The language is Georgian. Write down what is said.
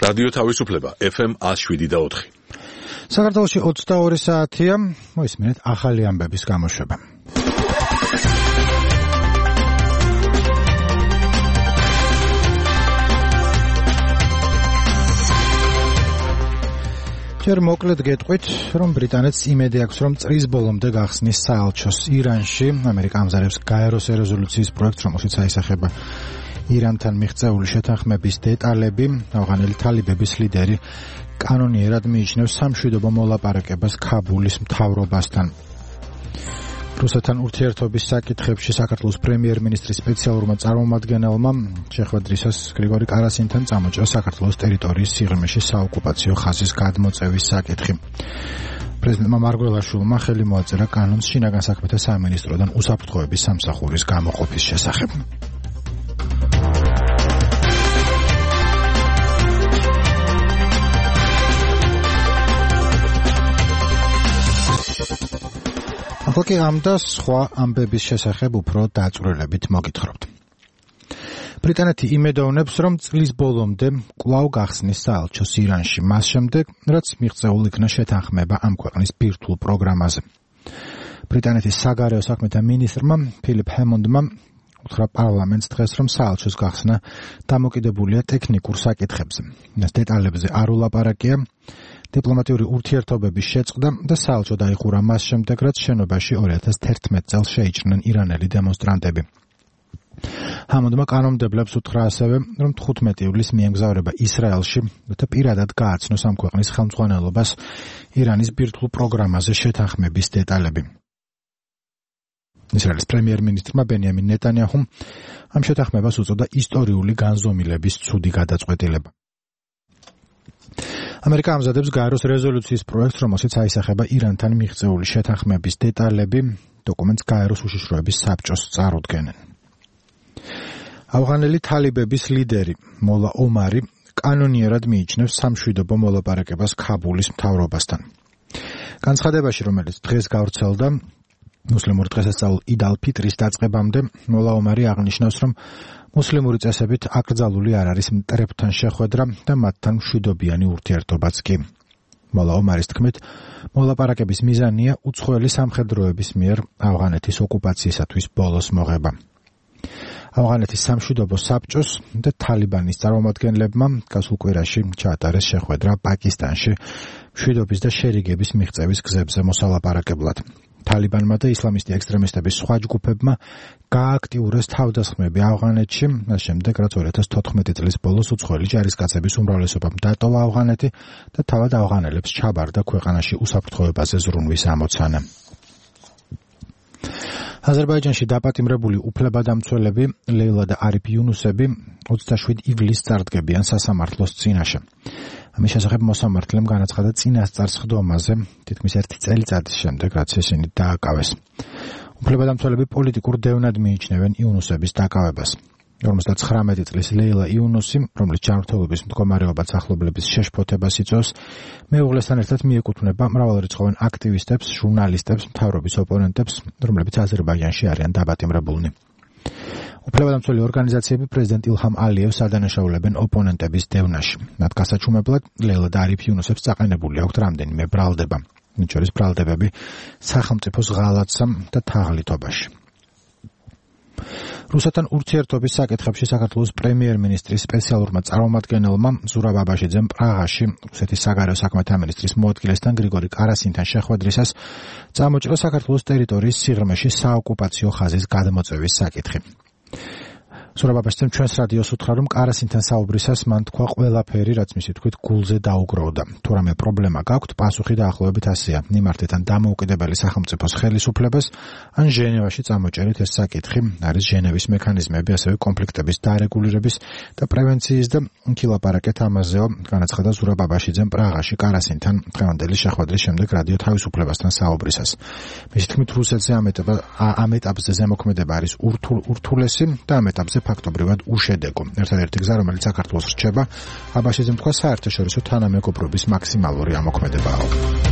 რადიო თავისუფლება FM 107.4. საქართველოში 22 საათია, მოისმინეთ ახალი ამბების გამოშვება. ჯერ მოკლედ გეტყვით, რომ ბრიტანეთს იმედი აქვს, რომ წრის ბოლომდე გახსნის საელჩოს ირანში. ამერიკა ამზადებს გაეროს რეზოლუციის პროექტს, რომელშიც აისახება ირანთან მიღწეული შეთანხმების დეტალები. ავღანელი თალიბების ლიდერი კანონიერად მიიჩნევს სამშვიდობო მოლაპარაკებას ქაბულის მთავრობასთან. რუსეთთან ურთიერთობის საკითხებში საქართველოს პრემიერ-მინისტრის სპეციალურმა წარმომადგენელმა შეხვედრისას გრიგორი კარასინთან წამოჭრა საქართველოს ტერიტორიის სიღრმეში საოკუპაციო ხაზის გადმოწევის საკითხი. პრეზიდენტმა მარგველაშვილმა ხელი მოაწერა კანონს შინაგან საქმეთა სამინისტროდან უსაფრთხოების სამსახურის გამოყოფის შესახებ. ახლა კი ამ და სხვა ამბების შესახებ უფრო დაწვრილებით მოგითხრობთ. ბრიტანეთი იმედოვნებს, რომ წლის ბოლომდე კვლავ გახსნის საელჩოს ირანში, მას შემდეგ, რაც მიღწეულ იქნა შეთანხმება ამ ქვეყნის ბირთვულ პროგრამაზე. ბრიტანეთის საგარეო საქმეთა მინისტრმა ფილიპ ჰემონდმა უთხრა პარლამენტს დღეს, რომ საელჩოს გახსნა დამოკიდებულია ტექნიკურ საკითხებზე. ეს დეტალებზე არ ულაპარაკია. დიპლომატიური ურთიერთობების შეწყდა და საელჩო დაიხურა მას შემდეგ, რაც შენობაში 2011 წელს შეიჭრნენ ირანელი დემონსტრანტები. ჰამონდმა კანონმდებლებს უთხრა ასევე, რომ 15 ივლისს მიემგზავრება ისრაელში და პირადად გააცნოს ამ ქვეყნის ხელმძღვანელობას ირანის ბირთვულ პროგრამაზე შეთანხმების დეტალები. ისრაელის პრემიერ-მინისტრმა ბენიამინ ნეტანიაჰუმ ამ შეთანხმებას უწოდა ისტორიული განზომილების ცუდი გადაწყვეტილება. ამერიკა ამზადებს გაეროს რეზოლუციის პროექტს, რომელშიც აისახება ირანთან მიღწეული შეთანხმების დეტალები. დოკუმენტს გაეროს უშიშროების საბჭოს წარუდგენენ. ავღანელი თალიბების ლიდერი მოლა ომარი კანონიერად მიიჩნევს სამშვიდობო მოლაპარაკებას ქაბულის მთავრობასთან. განცხადებაში, რომელიც დღეს გავრცელდა მუსლიმური დღესასწაულ იდ ალ-ფიტრის დაწყებამდე, მოლა ომარი აღნიშნავს, რომ მუსლიმური წესებით აკრძალული არ არის მტრებთან შეხვედრა და მათთან მშვიდობიანი ურთიერთობაც კი. მოლა ომარის თქმით, მოლაპარაკების მიზანია უცხოელი სამხედროების მიერ ავღანეთის ოკუპაციისათვის ბოლოს მოღება. ავღანეთის სამშვიდობო საბჭოს და თალიბანის წარმომადგენლებმა გასულ კვირაში ჩაატარეს შეხვედრა პაკისტანში მშვიდობის და შერიგების მიღწევის გზებზე მოსალაპარაკებლად. თალიბანმა და ისლამისტი ექსტრემისტების სხვა ჯგუფებმა გააქტიურეს თავდასხმები ავღანეთში, მას შემდეგ, რაც 2014 წლის ბოლოს უცხოელი ჯარისკაცების უმრავლესობამ დატოვა ავღანეთი და თავად ავღანელებს ჩაბარდა ქვეყანაში უსაფრთხოებაზე ზრუნვის ამოცანა. აზერბაიჯანში დაპატიმრებული უფლებადამცველები ლეილა და არიფ იუნუსები 27 ივლისს წარდგებიან სასამართლოს წინაშე. ამის შესახებ მოსამართლემ განაცხადა წინასწარ სხდომაზე, თითქმის 1 წელიწადის შემდეგ, რაც ისინი დააკავეს. უფლებადამცველები პოლიტიკურ დევნად მიიჩნევენ იუნუსების დაკავებას. 59 წლის ლეილა იუნუსი, რომლის ჯანმრთელობის მდგომარეობაც ახლობლების შეშფოთებას იწვევს, მეუღლესთან ერთად მიეკუთვნება მრავალრიცხოვან აქტივისტებს, ჟურნალისტებს, მთავრობის ოპონენტებს, რომლებიც აზერბაიჯანში არიან დაპატიმრებულნი. უფლებადამცველი ორგანიზაციები პრეზიდენტ ილჰამ ალიევს ადანაშაულებენ ოპონენტების დევნაში. მათ გასაჩუმებლად ლეილა და არიფ იუნუსებს წაყენებული აქვთ რამდენიმე ბრალდება, მათ შორის ბრალდებები სახელმწიფოს ღალატსა და თაღლითობაში. რუსეთთან ურთიერთობის საკითხებში საქართველოს პრემიერ-მინისტრის სპეციალურმა წარმომადგენელმა ზურაბ აბაშიძემ პრაღაში რუსეთის საგარეო საქმეთა მინისტრის მოადგილესთან გრიგორი კარასინთან შეხვედრისას წამოჭრა საქართველოს ტერიტორიის სიღრმეში საოკუპაციო ხაზის გადმოწევის საკითხი. ზურაბ აბაშიძემ ჩვენს რადიოს უთხრა, რომ კარასინთან საუბრისას მან თქვა ყველაფერი, რაც მისი თქმით გულზე დაუგროვდა. თუ რამე პრობლემა გაქვთ, პასუხი დაახლოებით ასეა: მიმართეთ ან დამოუკიდებელი სახელმწიფოს ხელისუფლებას, ან ჟენევაში წამოჭერით ეს საკითხი. არის ჟენევის მექანიზმები, ასევე კონფლიქტების დარეგულირების და პრევენციის და ილაპარაკეთ ამაზეო, განაცხადა ზურაბ აბაშიძემ პრაღაში კარასინთან დღევანდელი შეხვედრის შემდეგ რადიო თავისუფლებასთან საუბრისას. მისი თქმით, რუსეთზე ამ ეტაპზე ზემოქმედება არის ურთულესი და ამ ეტაპზე ფაქტობრივად უშედეგო. ერთადერთი გზა, რომელიც საქართველოს რჩება, აბაშიძემ თქვა, საერთაშორისო თანამეგობრობის მაქსიმალური ამოქმედებაა.